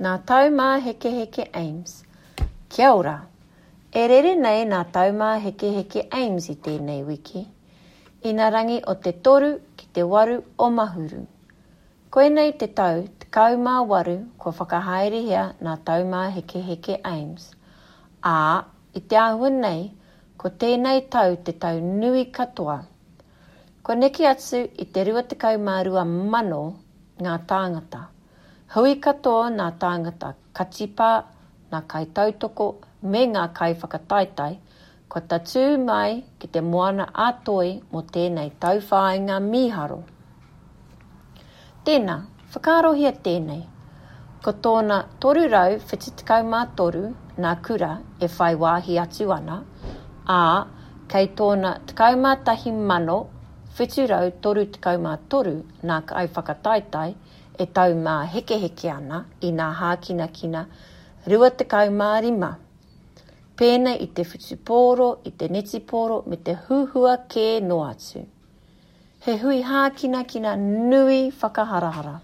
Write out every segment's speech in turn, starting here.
Nā Taumāhekeheke Ames. Kia ora! E rere nei nā Taumāhekeheke Ames i tēnei wiki, inarangi o te 3 ki te 8 o Mahuru. Koinei te tau 18 kua whakahaerehia nā Taumāhekeheke Ames, ā, i te āhua nei, ko tēnei tau te tau nui katoa. Kua neke atu i te 22,000 ngā tāngata. Hui katoa nā tāngata katipā, nā kaitautoko me ngā kaiwhakataetae kua tatū mai ki te Moana a Toi mō tēnei tauwhāinga mīharo. Tēnā, whakaarohia tēnei. Ko tōna 373 nā kura e whai wāhi atu ana, ā, kei tōna 11,733 nā kaiwhakataetae e taumāhekeheke ana i nā hākinakina 25, pēnei i te whutupōro, i te netipōro me te huhua kē noa atu. He hui hākinakina nui whakaharahara.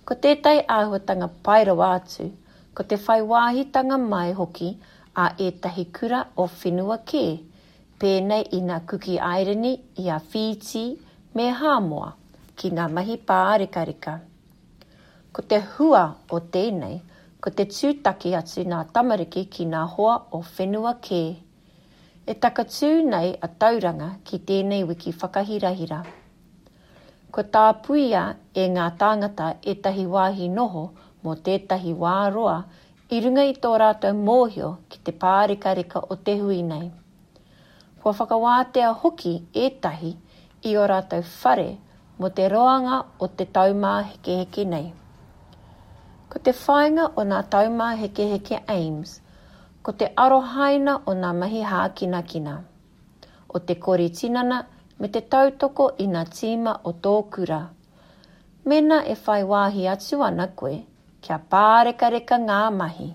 Ko tētahi āhuatanga pai rawa atu, ko te whai wāhitanga mai hoki a ētahi kura o whenua kē, pēnei i ngā Kuki Airani, i a Whītī me Hāmoa, ki ngā mahi pārekareka. Ko te hua o tēnei, ko te tūtaki atu ngā tamariki ki ngā hoa o whenua kē. E takatū nei a Tauranga ki tēnei wiki whakahirahira. Kua tāpuia e ngā tāngata ētahi wāhi noho mō tētahi wā roa i runga i tō rātou mōhio ki te pārekareka o te hui nei. Kua whakawātea hoki ētahi i ō rātou whare mō te roanga o te taumāhekeheke nei. Ko te whāinga o nā taumāhekeheke Aims Ko te arohaina o nā mahi hākinakina, o te kori tinana me te tautoko i nā tīma o tō kura. Mēnā e whai wāhi atu ana koe, kia pārekareka ngā mahi!